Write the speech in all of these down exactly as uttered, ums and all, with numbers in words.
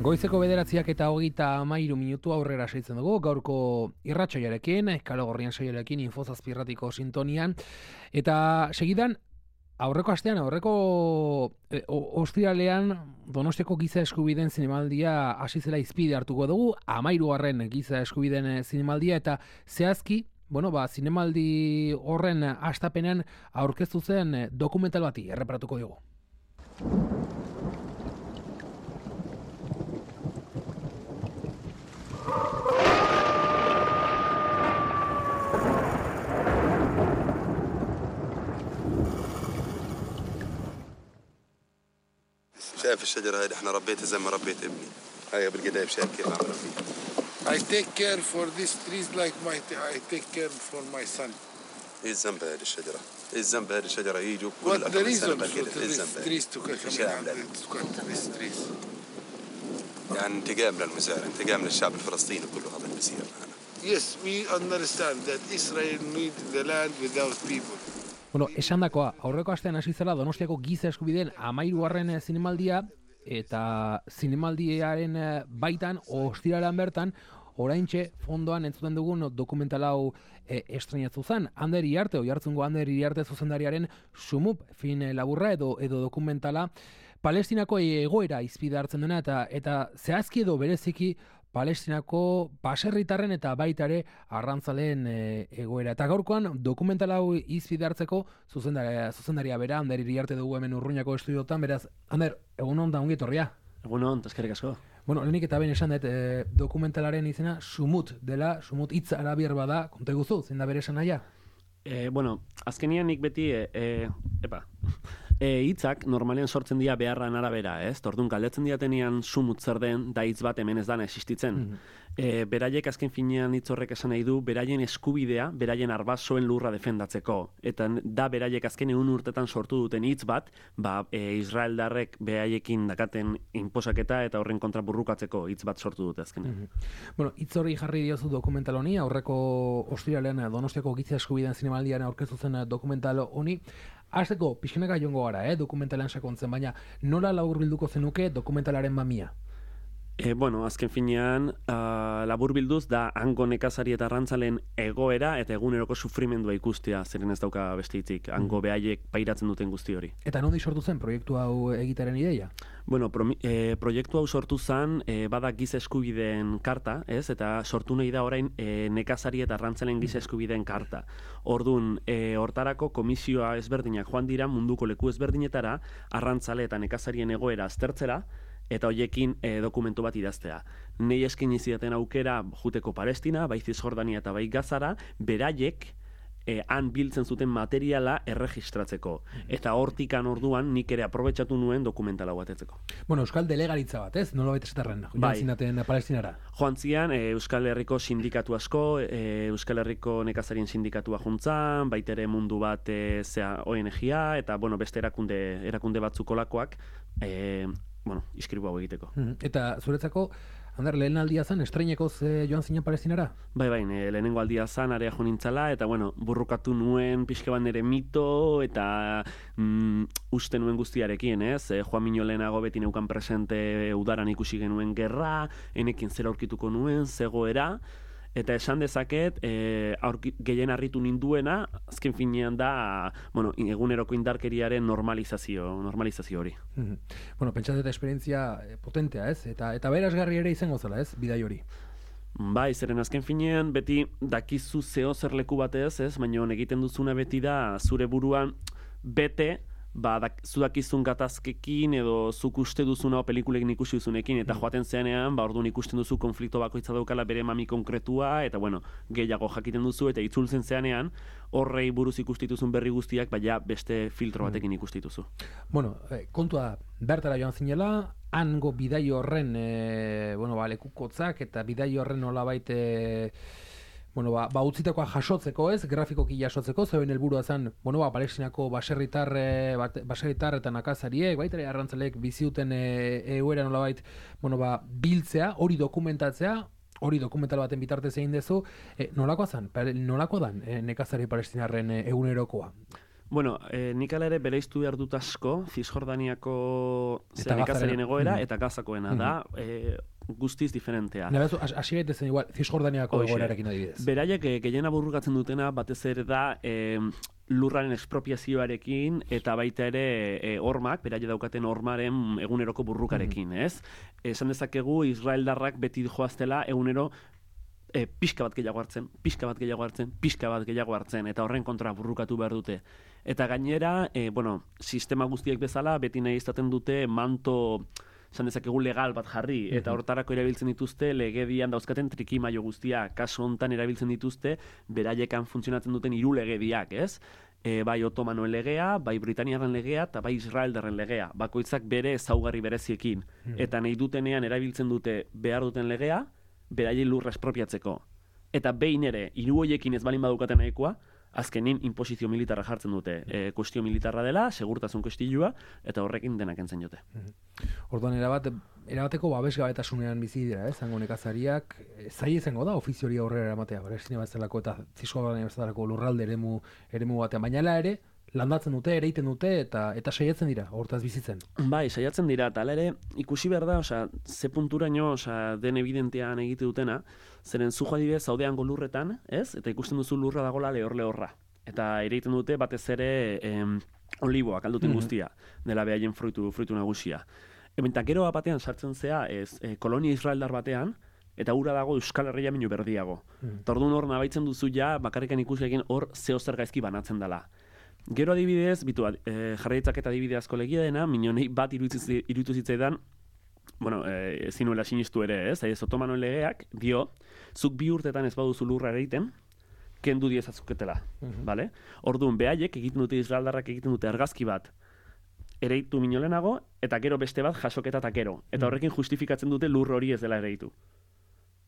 Goizeko bederatziak eta hogeita hamairu minutu aurrera seitzen dugu, gaurko irratsaioarekin, Kale Gorrian saioarekin, Infozazpirratiko sintonian, eta segidan, aurreko astean, aurreko e, ostiralean, Donostiako giza eskubideen zinemaldia hasi zela izpide hartuko dugu, hamairugarren giza eskubideen zinemaldia, eta zehazki, bueno, ba, zinemaldi horren hastapenean aurkeztu zen dokumental bati erreparatuko dugu. شايف الشجرة هذه احنا ربيتها زي ما ربيت ابني. هاي بالقدايف شايف كيف عم ربيه. I take care for these trees like my I take care for my son. ايه الذنب هذه الشجرة؟ ايه الذنب هذه الشجرة يجوا كل What the أكم سنة reason for بالقدايف؟ ايه these الذنب؟ trees to come to cut these trees? يعني انتقام للمزارع، انتقام للشعب الفلسطيني كله هذا اللي بيصير معنا. Yes, we understand that Israel need the land without people. Bueno, esan dakoa, aurreko astean hasi zela Donostiako giza eskubideen hamairugarren zinemaldia, eta zinemaldiaren baitan, ostiralean bertan, oraintxe fondoan entzuten dugun dokumental hau e, estreinatu zen. Ander Iriarte, Oiartzungo Ander Iriarte zuzendariaren Sumup fin laburra edo edo dokumentala Palestinako egoera izpide hartzen dena, eta eta zehazki edo bereziki Palestinako baserritarren eta baita ere arrantzaleen e, egoera. Eta gaurkoan dokumental hau izpide hartzeko zuzendaria, zuzendaria bera, Ander Iriarte dugu hemen Urruñako estudiotan, beraz, Ander, egun hon da ongi etorria. Egun hon, eskerrik asko. Bueno, lehenik eta behin esan dut, e, dokumentalaren izena Sumut dela, Sumut hitz arabiar bada, konta guzu, zein da bere esan naia? E, bueno, azkenian nik beti, e, e, epa, e, hitzak normalean sortzen dira beharran arabera, ez? Tordun galdetzen diatenean sumut zer den, da hitz bat hemen ez dana existitzen. Mm-hmm. E, beraiek azken finean hitz horrek esan nahi du, beraien eskubidea, beraien arbasoen lurra defendatzeko. Eta da beraiek azken egun urtetan sortu duten hitz bat, ba, e, Israeldarrek beraiekin dakaten inposaketa eta horren kontra burrukatzeko hitz bat sortu dute azkenean. Mm-hmm. Bueno, hitz hori jarri diozu dokumental honi, aurreko ostiralean Donostiako giza eskubideen zinemaldian aurkeztu zen dokumental honi. Hasteko, pixkanaka joango gara, eh, dokumentalean sakontzen, baina nola laburbilduko zenuke dokumentalaren mamia? E, bueno, azken finean, uh, laburbilduz da hango nekazari eta arrantzalen egoera eta eguneroko sufrimendua ikustea, zeren ez dauka beste hitzik, hango behaiek pairatzen duten guzti hori. Eta nondi sortu zen proiektu hau egitaren ideia? Bueno, pro, e, proiektu hau sortu zen, e, bada giza eskubideen karta, ez? Eta sortu nahi da orain e, nekazari eta arrantzalen giza eskubideen karta. Ordun, e, hortarako komisioa ezberdinak joan dira munduko leku ezberdinetara, arrantzale eta nekazarien egoera aztertzera, eta hoiekin e, dokumentu bat idaztea. Nei eskaini zidaten aukera juteko Palestina, bai Zisjordania eta bai Gazara, beraiek e, han biltzen zuten materiala erregistratzeko. Eta hortikan orduan nik ere aprobetxatu nuen dokumentala batetzeko. Bueno, Euskal Delegaritza bat, ez? Nola baita esaterren, joan zinaten Palestinara? Joan zian, e, Euskal Herriko sindikatu asko, e, Euskal Herriko nekazarien sindikatua juntzan, baita ere mundu bat e, zea O N G-a, eta bueno, beste erakunde, erakunde batzuk olakoak, e, bueno, iskribu hau egiteko. Eta zuretzako, Ander, lehen aldia zan, estreinekoz e, joan zinen Palestinara? Bai, bai, lehenengo aldia zan, area jo nintzala, eta bueno, burrukatu nuen pixke bat nere mito, eta mm, uste nuen guztiarekin, ez? E, Joan Mino lehenago beti neukan presente udaran ikusi genuen gerra, enekin zera aurkituko nuen, zegoera, eta esan dezaket, e, aurki, gehien harritu ninduena, azken finean da, bueno, eguneroko indarkeriaren normalizazio, normalizazio hori. Mm-hmm. Bueno, pentsat eta esperientzia potentea, ez? Eta, eta berazgarri ere izango zela, ez? Bidai hori. Bai, zeren azken finean, beti dakizu zeo zer leku batez, ez? Baina egiten duzuna beti da, zure buruan bete, ba, dak, zudakizun gatazkekin edo zuk uste duzuna pelikulekin ikusi duzunekin, eta joaten zenean, ba, orduan ikusten duzu konflikto bakoitza daukala bere mami konkretua, eta bueno, gehiago jakiten duzu, eta itzultzen zenean, horrei buruz ikustituzun berri guztiak, baina beste filtro batekin ikustituzu. Bueno, eh, kontua bertara joan zinela, hango bidai horren, eh, bueno, ba, lekukotzak, eta bidai horren nolabait, eh, bueno, ba, ba utzitakoa jasotzeko, ez, grafikoki jasotzeko, zeuen helburua zen, bueno, ba, Palestinako baserritar, baserritar eta nakazariek, baita ere arrantzaleek biziuten egoera nolabait, bueno, ba, biltzea, hori dokumentatzea, hori dokumental baten bitartez egin dezu, e, nolakoa zen, nolakoa dan e, nekazari palestinarren e, egunerokoa? Bueno, eh, nik ala ere bereiztu behar dut asko, Cisjordaniako nekazarien egoera mm. eta Gazakoena da, eh, guztiz diferentea. Nabezu, hasi gaitezen igual, Cisjordaniako egoerarekin adibidez. Beraiek eh, gehiena burrukatzen dutena batez ere da eh, lurraren expropiazioarekin eta baita ere e, hormak, beraie daukaten hormaren eguneroko burrukarekin, mm-hmm. ez? Esan dezakegu Israeldarrak beti joaztela egunero e, pixka bat gehiago hartzen, pixka bat gehiago hartzen, pixka bat gehiago hartzen, eta horren kontra burrukatu behar dute. Eta gainera, e, bueno, sistema guztiek bezala, beti nahi izaten dute manto, esan dezakegu legal bat jarri, mm-hmm. eta hortarako erabiltzen dituzte legedian dauzkaten trikimaio guztiak, kasu hontan erabiltzen dituzte beraiekan funtzionatzen duten hiru legediak, ez? E, bai Otomanoen legea, bai Britaniaren legea, eta bai Israeldarren legea. Bakoitzak bere ezaugarri bereziekin. Mm. Eta nahi dutenean erabiltzen dute behar duten legea, beraiei lurra espropiatzeko. Eta behin ere, hiru hoiekin ez balin badukaten nahikoa, azkenin inposizio militarra jartzen dute. E, kuestio militarra dela, segurtasun kuestilua, eta horrekin denak entzen jote. Mm. Orduan, erabat, erabateko babesgabetasunean bizi dira, eh? Zango nekazariak, zai izango da ofizio hori aurrera eramatea, Palestina bezalako eta Cisjordania bezalako lurralde eremu, eremu batean, baina ere, landatzen dute, ereiten dute, eta eta saiatzen dira, hortaz bizitzen. Bai, saiatzen dira, eta hala ere, ikusi behar da, osea, ze punturaino, osea, den evidentean egite dutena, zeren zu adibidez zaudean lurretan, ez? Eta ikusten duzu lurra dagola lehor-lehorra. Eta ereiten dute batez ere em, oliboak alduten guztia, dela behaien fruitu, fruitu nagusia. Eta gero batean sartzen zea, ez, e, kolonia israeldar batean, eta ura dago Euskal Herria minu berdiago. Mm. Eta orduan hor nabaitzen duzu ja, bakarrikan ikusekin hor zeo zer gaizki banatzen dela. Gero adibidez, bitu, e, jarraitzak eta adibide asko legia dena, minionei bat iruditu zitzaidan, bueno, e, zinuela sinistu ere, ez, ez Otomanoen legeak, dio, zuk bi urtetan ez baduzu lurra ereiten, kendu diezazuketela, mm-hmm. Vale? Orduan, behaiek egiten dute Israeldarrak egiten dute argazki bat, ereitu minolenago, eta gero beste bat jasoketa eta gero. Eta horrekin justifikatzen dute lur hori ez dela ereitu.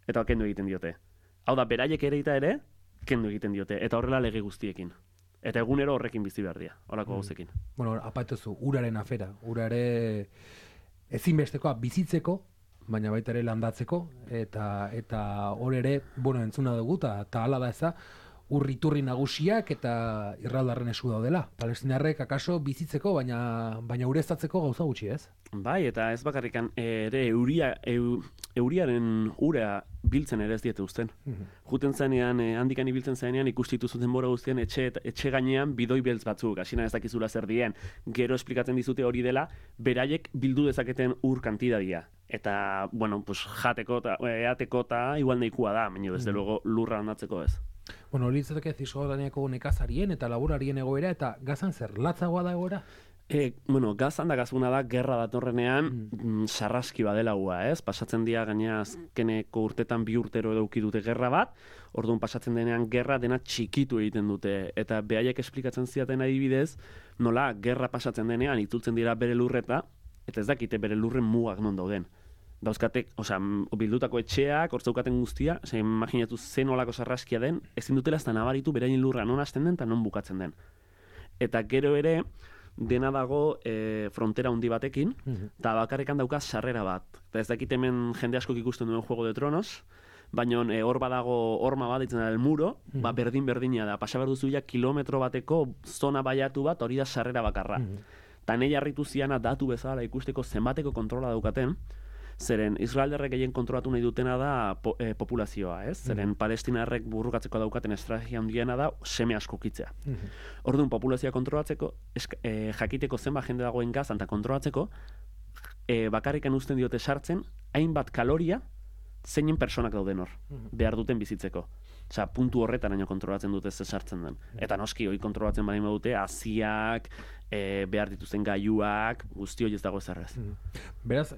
Eta kendu egiten diote. Hau da, beraiek ereita ere, kendu egiten diote. Eta horrela lege guztiekin. Eta egunero horrekin bizi behar dira, horako gauzekin. Bueno, apaituzu, uraren afera. Urare ezinbestekoa bizitzeko, baina baita ere landatzeko, eta eta hor ere, bueno, entzuna dugu, eta hala da eza, urriturri nagusiak eta Israeldarren esku daudela. Palestinarrek akaso bizitzeko, baina baina ureztatzeko gauza gutxi, ez? Bai, eta ez bakarrikan ere euria, eu, euriaren ura biltzen ere ez diete uzten. Mm-hmm. Juten zenean, eh, handikan ibiltzen zenean, ikustitu zuten bora guztien etxe, etxe gainean bidoi beltz batzuk, hasina ez dakizula zer dien. Gero esplikatzen dizute hori dela, beraiek bildu dezaketen ur kantidadia. Eta, bueno, pues, jateko eta eateko eta igual nahikoa da, baina desde luego lurra handatzeko ez. Bueno, hori litzateke Cisjordaniako nekazarien eta laborarien egoera, eta Gazan zer, latzagoa da egoera? E, bueno, Gazan da gazuna da, gerra datorrenean, mm. sarraski badela hua, ez? Pasatzen dira gaina azkeneko urtetan bi urtero eduki dute gerra bat, orduan pasatzen denean gerra dena txikitu egiten dute, eta behaiek esplikatzen ziaten adibidez, nola, gerra pasatzen denean, itzultzen dira bere lurreta, eta ez dakite bere lurren mugak non dauden. Dauzkatek, osea, bildutako etxeak, hortzaukaten guztia, osea, imaginatu zen olako sarraskia den, ezin dutela ez da nabaritu beraien lurra non hasten den eta non bukatzen den. Eta gero ere, dena dago e, frontera handi batekin, eta mm-hmm. bakarrekan dauka sarrera bat. Eta ez dakit hemen jende askok ikusten duen Juego de Tronos, baina e, hor badago horma bat ditzen da el muro, mm-hmm. ba, berdin-berdina da, pasa behar duzu ja kilometro bateko zona baiatu bat, hori da sarrera bakarra. Mm-hmm. Ta nahi harritu ziana datu bezala ikusteko zenbateko kontrola daukaten, zeren Israeldarrek gehien kontrolatu nahi dutena da po, e, populazioa, ez? Zeren mm. Palestinarrek burrukatzeko daukaten estrategia handiena da seme asko kitzea. Mm-hmm. Orduan populazioa kontrolatzeko, eska, e, jakiteko zenba jende dagoen Gazan eta kontrolatzeko, e, bakarrikan uzten diote sartzen, hainbat kaloria zeinen personak dauden hor, mm-hmm. behar duten bizitzeko. Osea, puntu horretan haino kontrolatzen dute ze sartzen den. Mm-hmm. Eta noski, hori kontrolatzen badin badute, haziak, e, behar dituzten gailuak, guzti hori ez dago ezerrez. Mm-hmm. Beraz,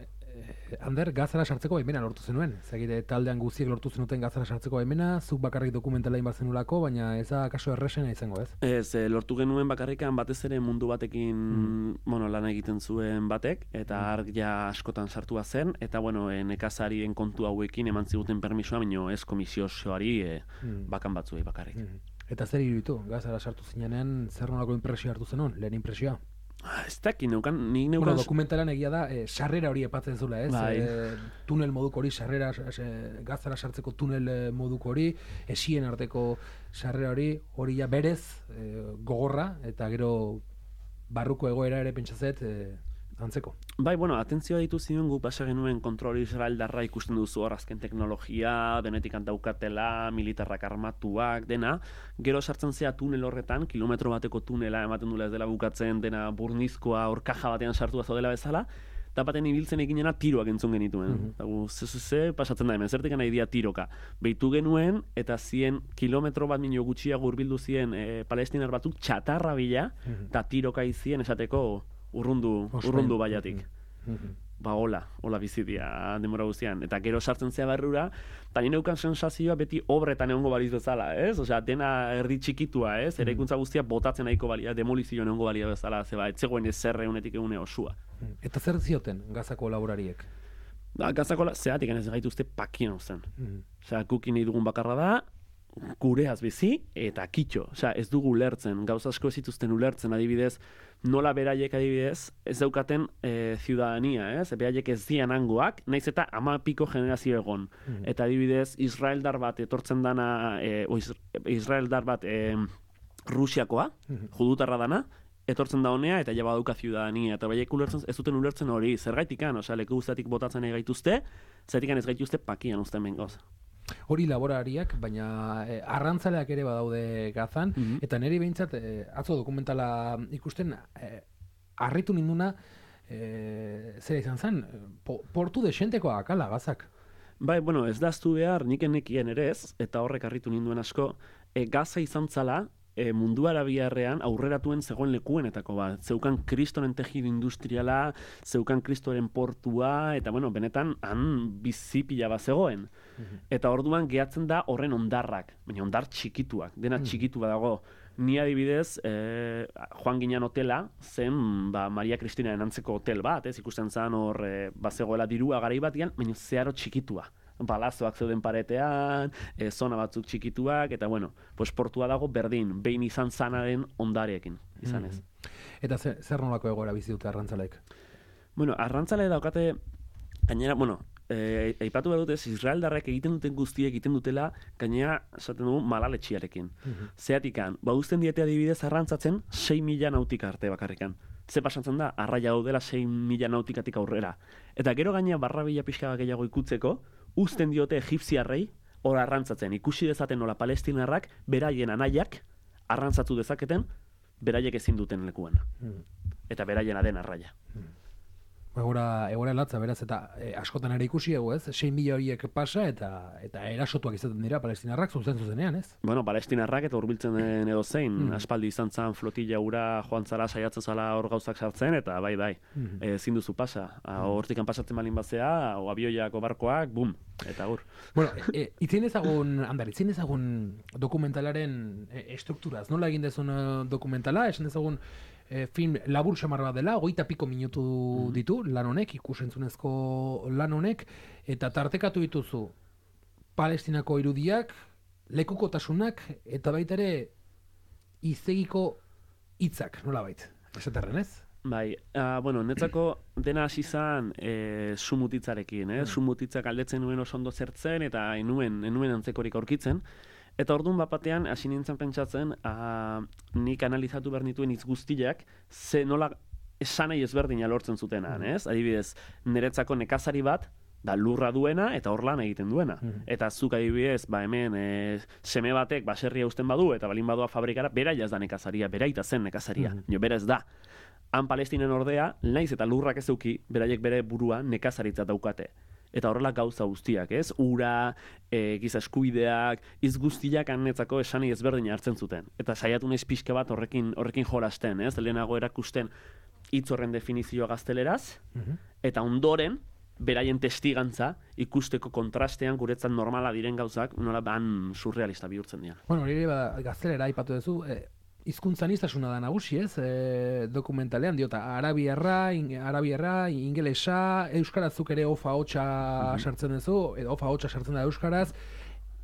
Ander, Gazara sartzeko baimena lortu zenuen. Zegite taldean guztiek lortu zenuten Gazara sartzeko baimena, zuk bakarrik dokumentala inbat zenulako, baina ez da kaso errexena izango, ez? Ez, eh, lortu genuen bakarrikan batez ere mundu batekin mm. bueno, lan egiten zuen batek, eta mm. arg ja askotan sartua zen, eta bueno, e, nekazarien kontu hauekin eman ziguten permisoa, baina ez komisio osoari e, mm. bakan batzuei bakarrik. Mm. Eta zer iruditu, Gazara sartu zinenean, zer nolako impresioa hartu zenun, lehen impresioa? Ez dakit, neukan, nik neukan... Bueno, dokumentalan egia da, eh, sarrera hori epatzen zula, ez? Bai. Eh, tunel moduko hori, sarrera, eh, gazara sartzeko tunel eh, moduko hori, esien arteko sarrera hori, hori ja berez, eh, gogorra, eta gero barruko egoera ere pentsazet, eh, antzeko. Bai, bueno, atentzioa ditu ziren gu pasa genuen kontrol israeldarra ikusten duzu hor azken teknologia, denetik daukatela, militarrak armatuak, dena, gero sartzen zea tunel horretan, kilometro bateko tunela ematen dula ez dela bukatzen, dena burnizkoa, hor kaja batean sartua zaudela bezala, eta baten ibiltzen eginena tiroak entzun genituen. Mm -hmm. Ze, ze, ze, pasatzen da hemen, zertik nahi dia tiroka. Beitu genuen, eta zien kilometro bat minio gutxiago hurbildu zien e, palestinar batzuk txatarra bila, eta mm -hmm. tiroka izien esateko urrundu, urrundu baiatik. Mm-hmm. Ba, hola, hola bizitia demora guztian. Eta gero sartzen zea barrura, eta nire neukan sensazioa beti obretan egongo baliz bezala, ez? Osea, dena erdi txikitua, ez? Eraikuntza guztia botatzen nahiko balia, demolizioan egongo balia bezala, zeba, etzegoen ezer egunetik egune osua. Eta zer zioten Gazako laborariek? Da, Gazako, zehatik ez gaituzte pakien zen. Mm-hmm. Osea, kukin nahi dugun bakarra da, gureaz bizi eta kitxo. Osea, ez dugu ulertzen, gauza asko ez dituzten ulertzen, adibidez, nola beraiek adibidez ez daukaten e, ciudadania, ez? Beraiek ez dian hangoak, naiz eta ama piko generazio egon. Mm-hmm. Eta adibidez, Israeldar bat etortzen dana, e, o Israeldar bat e, Rusiakoa, mm-hmm. judutarra dana, etortzen da honea eta ja badauka ciudadania, eta beraiek ulertzen, ez duten ulertzen hori, zergaitikan, osea, leku guztatik botatzen nahi gaituzte, zergaitikan ez gaituzte pakian uzten bengoz. Hori laborariak, baina eh, arrantzaleak ere badaude Gazan, mm-hmm. eta niri behintzat, eh, atzo dokumentala ikusten, eh, harritu ninduna, eh, zera izan zen, po, portu desentekoa akala Gazak. Bai, bueno, ez daztu behar, nik enekien ere ez, eta horrek harritu ninduen asko, e, Gaza izan zala, e, mundu arabiarrean aurreratuen zegoen lekuenetako bat. Zeukan kristoren tejido industriala, zeukan kristoren portua, eta bueno, benetan han bizipila bat zegoen. Mm-hmm. Eta orduan gehatzen da horren ondarrak, baina ondar txikituak, dena mm-hmm. txikitu badago. Ni adibidez, eh, joan ginen hotela, zen ba, Maria Kristinaren antzeko hotel bat, ez ikusten zen hor eh, bazegoela dirua garai batian, baina zeharo txikitua. Balazoak zeuden paretean, e, zona batzuk txikituak, eta bueno, pues portua dago berdin, behin izan zanaren ondareekin, izan ez. Mm-hmm. Eta zer, zer nolako egoera bizi dute arrantzaleek? Bueno, arrantzale daukate, gainera, bueno, e, aipatu behar dutez, Israeldarrek egiten duten guztiek egiten dutela, gainera, esaten dugu, malaletxiarekin. Mm-hmm. Zeatikan, ba uzten diete adibidez arrantzatzen, sei mila nautika arte bakarrikan. Ze pasatzen da, arraia daudela sei mila nautikatik aurrera. Eta gero gainera barra bila pixka gehiago ikutzeko, uzten diote egipziarrei hor arrantzatzen. Ikusi dezaten nola palestinarrak beraien anaiak arrantzatu dezaketen beraiek ezin duten lekuan. Mm. Eta beraiena den arraia. Mm. Egora, egora latza, beraz, eta e, askotan ere ikusi egu, ez? sei mila horiek pasa eta eta erasotuak izaten dira palestinarrak zuzen zuzenean, ez? Bueno, palestinarrak eta hurbiltzen den edo zein, mm. aspaldi izan zan flotilla ura joan zara saiatzen zala hor gauzak sartzen, eta bai, bai, mm. ezin duzu pasa. Hortikan pasatzen balin batzea, o abioiako barkoak, bum, eta gur. Bueno, e, itzien ezagun, andar, itzien ezagun dokumentalaren e, estrukturaz, nola egin dezun dokumentala, esan ezagun E, film labur xamar bat dela, hogeita piko minutu mm-hmm. ditu, lan honek, ikusentzunezko lan honek, eta tartekatu dituzu Palestinako irudiak, lekukotasunak, eta baita ere izegiko hitzak, nola bait, esaterren ez? Bai, uh, bueno, netzako dena hasi zan e, sumutitzarekin, eh? Mm. Sumutitzak aldetzen nuen oso ondo zertzen, eta enuen, enuen antzekorik aurkitzen. Eta orduan bapatean, hasi nintzen pentsatzen, uh, nik analizatu behar nituen hitz guztiak, ze nola esanai ezberdina lortzen zutenan, mm. ez? Adibidez, niretzako nekazari bat, da lurra duena eta hor lan egiten duena. Mm. Eta zuk adibidez, ba hemen e, seme batek baserria uzten badu, eta balin badua fabrikara, beraia ez da nekazaria, beraita zen nekazaria, mm. jo, bera ez da. Han Palestinen ordea, naiz eta lurrak ez euki, beraiek bere burua nekazaritza daukate. Eta horrela gauza guztiak, ez? Ura, e, giza eskubideak, iz guztiak anetzako esani ezberdin hartzen zuten. Eta saiatu naiz pixka bat horrekin horrekin jolasten, ez? Lehenago erakusten hitz horren definizioa gazteleraz, mm-hmm. eta ondoren, beraien testigantza ikusteko kontrastean guretzat normala diren gauzak, nola ban surrealista bihurtzen dira. Bueno, hori ba, gaztelera aipatu duzu, e, hizkuntzaniztasuna da nagusi, ez? E, dokumentalean diota arabiarra, in, arabiarra, ingelesa, euskarazuk ere ofa hotxa mm-hmm. sartzen duzu, edo ofa hotxa sartzen da euskaraz,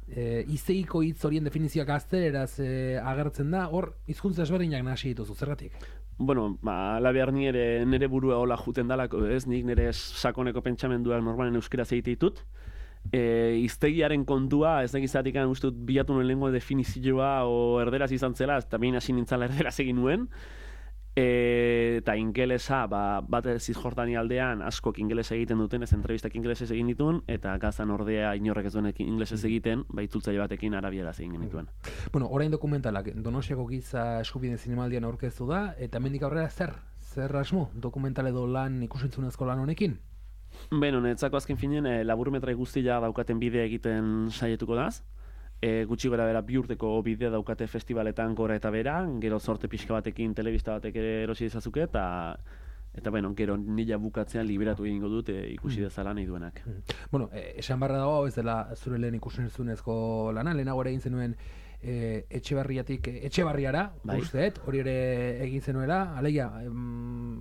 e, izeiko hitz horien definizioak gazteleraz e, agertzen da, hor hizkuntza ezberdinak nahasi dituzu, zergatik? bueno, ba, ala behar ni ere nire burua hola juten dalako, ez? Nik nire sakoneko pentsamenduak normalen euskaraz egite ditut. E, iztegiaren kontua, ez da gizatik uste dut bilatu nuen lengua definizioa o erderaz izan zela, eta behin hasi nintzala erderaz egin nuen. E, eta ingelesa, ba, bat Zisjordania aldean askok ingelesa egiten duten, ez entrevistak ingelesez egin dituen, eta Gazan ordea inorrek ez duen ingelesez egiten, ba itzultzaile batekin arabieraz egin genituen. Bueno, orain dokumentalak Donostiako giza eskubideen zinemaldian aurkeztu da, eta hemendik aurrera zer? Zer asmo dokumental edo lan ikusentzunezko lan honekin? Beno, netzako azken finen, e, laburmetrai guztia daukaten bidea egiten saietuko daz. E, gutxi gora bera bi urteko bidea daukate festivaletan gora eta bera, gero zorte pixka batekin telebista batek ere erosi dezazuke, eta eta bueno, gero nila bukatzean liberatu egingo dut e, ikusi dezala nahi duenak. Bueno, e, esan barra dago, ez dela zure lehen ikusentzunezko lana, lehenago ere egin zenuen e, Etxebarriatik e, Etxebarriara, bai. Usteet, hori ere egin zenuela, alegia, em,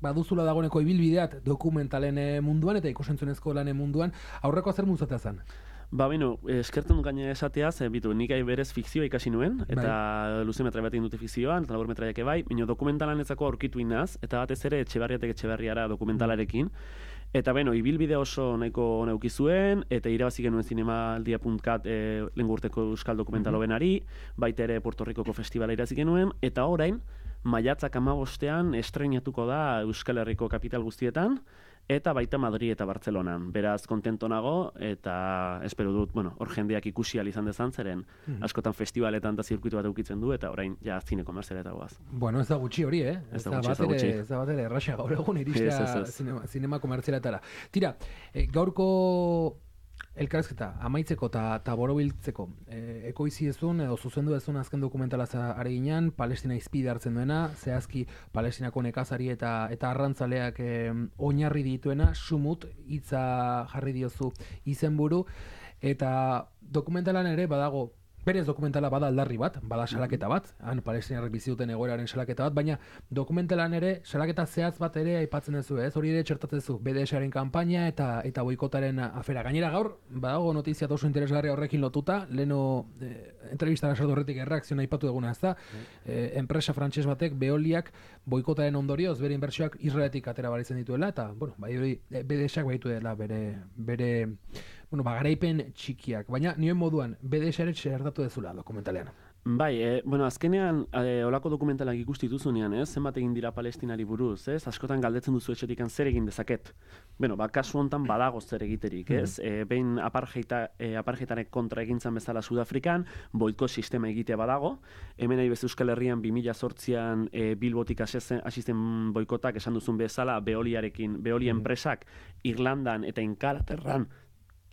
baduzula dagoeneko ibilbideat dokumentalen munduan eta ikusentzunezko lanen munduan, aurreko zer muzatea zen? Ba, beno, eskertzen dut gaina esateaz, e, bitu, nik berez fikzioa ikasi nuen, eta bai. Luze metrai bat egin dute fikzioan, eta labur metraiak bai, baina dokumentalan etzako aurkitu inaz, eta batez ere Etxebarriatek Etxebarriara dokumentalarekin, eta beno, ibilbide oso nahiko neuki zuen, eta irabazi genuen zinemaldia puntu cat e, lengurteko euskal dokumentalo benari, baita ere Puerto Ricoko festivala irabazi genuen, eta orain, maiatzak hamabostean estreinatuko da Euskal Herriko kapital guztietan, eta baita Madrid eta Bartzelonan. Beraz, kontento nago, eta espero dut, bueno, hor jendeak ikusi ahal izan dezan, zeren askotan festivaletan eta zirkuitu bat eukitzen du, eta orain ja zine komerzialeta goaz. Bueno, ez da gutxi hori, eh? Ez da gutxi, ez da gutxi. Ez da bat ere, erraxa gaur egun iristea zinema, zinema komerzialetara. Tira, eh, gaurko elkarrezketa amaitzeko eta borobiltzeko e, ekoizi ezun edo zuzendu ezun azken dokumentala are ginean, Palestina izpide hartzen duena, zehazki Palestinako nekazari eta eta arrantzaleak e, oinarri dituena, sumut hitza jarri diozu izenburu, eta dokumentalan ere badago, berez dokumentala bada aldarri bat, bada salaketa bat, han palestinarrek bizi duten egoeraren salaketa bat, baina dokumentalan ere salaketa zehatz bat ere aipatzen duzu, ez? Hori ere txertatzen duzu, B D S-aren kanpaina eta eta boikotaren afera. Gainera gaur, badago notizia oso interesgarria horrekin lotuta, leno eh, entrevistara sartu horretik erreakzioa aipatu duguna, ezta? Eh, enpresa frantses batek Veoliak boikotaren ondorioz bere inbertsioak Israeletik atera baritzen dituela, eta bueno, bai hori B D S-ak baitu dela bere bere bueno, bagaraipen txikiak, baina nioen moduan B D S-ere txertatu dezula dokumentalean. Bai, e, bueno, azkenean e, olako dokumentalak ikusti duzunean, ez? Zenbat egin dira Palestinari buruz, ez? Askotan galdetzen duzu etxetikan zer egin dezaket. Bueno, ba, kasu hontan badago zer egiterik, ez? Mm. E, behin apartheita, e, apartheitaren kontra egintzan bezala Sudafrikan, boikot sistema egitea badago. Hemen nahi bez Euskal Herrian bi mila zortzian e, Bilbotik asisten boikotak esan duzun bezala, Veoliarekin, Veolia mm. enpresak Irlandan eta Ingalaterran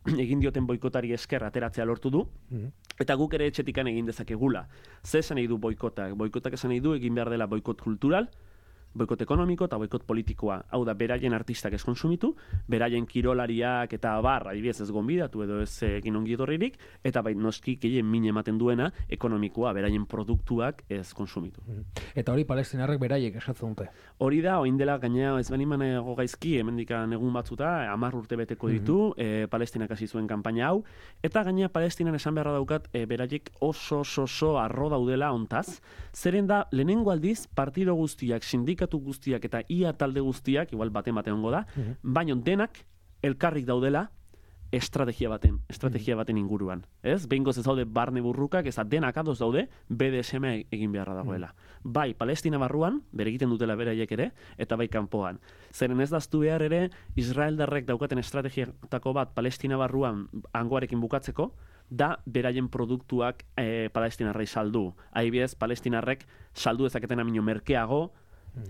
egin dioten boikotari esker ateratzea lortu du, mm-hmm. eta guk ere etxetikan egin dezakegula. Ze esan nahi du boikotak? Boikotak esan nahi du egin behar dela boikot kultural, boikot ekonomiko eta boikot politikoa. Hau da, beraien artistak ez konsumitu, beraien kirolariak eta bar, adibidez ez gonbidatu edo ez egin ongi etorririk, eta bai noski gehien min ematen duena ekonomikoa, beraien produktuak ez konsumitu. Eta hori palestinarrek beraiek esatzen dute. Hori da, oin dela gainea ez bani manego gaizki, hemendikan egun batzuta, hamar urte beteko ditu, mm-hmm. e, Palestinak hasi zuen kanpaina hau, eta gainea Palestinan esan beharra daukat, e, beraiek oso oso oso arro daudela ontaz, zeren da, lehenengo aldiz, partido guztiak, sindikatu guztiak eta ia talde guztiak, igual baten baten ongo da, mm-hmm. baina denak elkarrik daudela estrategia baten, estrategia baten inguruan. Ez? Behingoz ez daude barne burrukak, ez denak ados daude B D S M egin beharra dagoela. Mm. Bai, Palestina barruan, bere egiten dutela beraiek ere, eta bai kanpoan. Zeren ez daztu behar ere, Israeldarrek daukaten estrategiatako bat Palestina barruan hangoarekin bukatzeko, da beraien produktuak e, palestinarrei saldu. Adibidez, palestinarrek saldu dezaketen amino merkeago,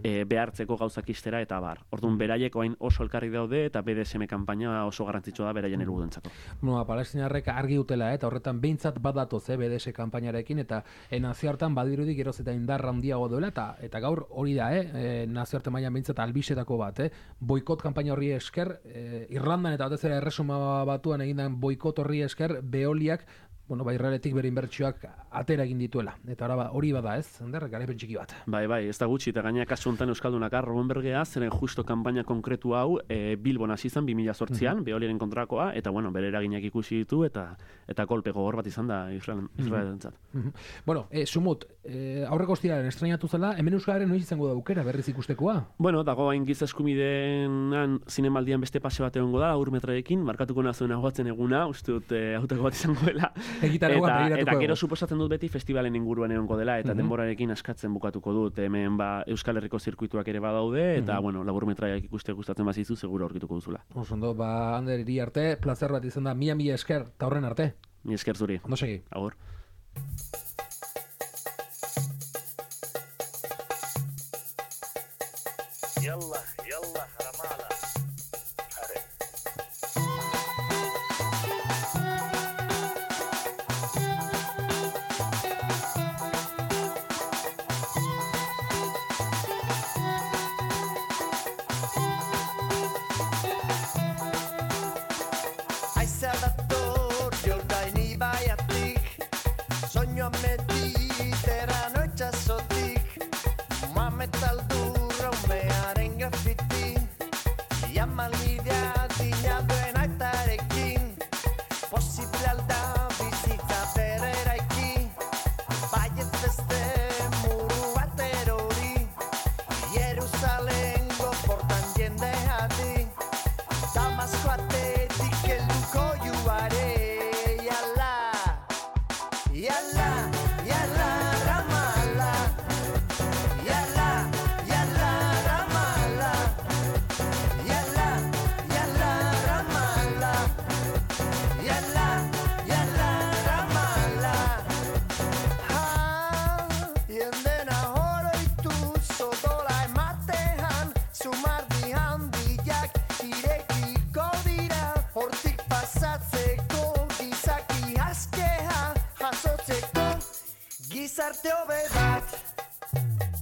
E, behartzeko gauzak istera eta bar. Orduan beraiek oain oso elkarri daude eta B D S M kanpaina oso garrantzitsua da beraien helburuentzako. Bueno, palestinarrek argi dutela, eta horretan behintzat badatoz eh, B D S kanpainarekin, eta e, nazioartean badirudi geroz eta indarra handiago duela, eta eta gaur hori da, eh, e, nazioarte mailan behintzat albisetako bat, eh, boikot kanpaina horri esker, e, Irlandan eta batez ere Erresuma Batuan egindan boikot horri esker, Veoliak bueno, bai Israeletik bere inbertsioak atera egin dituela. Eta ora hori bada, ez? Ender garaipen txiki bat. Bai, bai, ez da gutxi, eta gaina kasu honetan Euskaldunak Robbenbergea, zeren justo kanpaina konkretu hau e, Bilbon hasi zen bi mila zortzian, mm -hmm. Veoliaren kontrakoa, eta bueno, bere eraginak ikusi ditu, eta eta kolpe gogor bat izan da Israelentzat. Mm -hmm. Bueno, e, Sumut, e, aurreko ostiraren estrainatu zela, hemen Euskararen noiz izango da aukera berriz ikustekoa? Bueno, dago hain giza eskubideenan zinemaldian beste pase bat egongo da, urmetraekin, markatuko nazuen agoatzen eguna, uste dut e, autako bat izangoela. Eta, eta gero suposatzen dut beti festivalen inguruan egongo dela, eta mm -hmm. denborarekin askatzen bukatuko dut, hemen ba, Euskal Herriko zirkuituak ere badaude, eta mm -hmm. bueno, laburmetraiak ikuste gustatzen bazizu, seguro aurkituko duzula. Osondo, ba, Ander, iri arte, plazer bat izan da, mila mila esker, eta horren arte. Mi esker zuri. Ondo segi. Agur. Yalla, yalla, Ramala. Soño mediterrano itxasotik, mametaldur haumearen grafiti, jamalbidea dina duen aitarekin, posible alda bizitza bereraiki, baiet beste muru bat erori, Jerusalengo portan jende hadi, Damasko atetik helduko juare. Yalla, yalla, Ramallah. Yalla, yalla, Ramallah. Yalla, yalla, Ramallah. Yalla, yalla, Ramallah. Ha, jendena horoitu sodola ematean, sumardi handiak irekiko dira, hortik pasatzeko gizaki askea, jasotzeko gizarte hobe bat.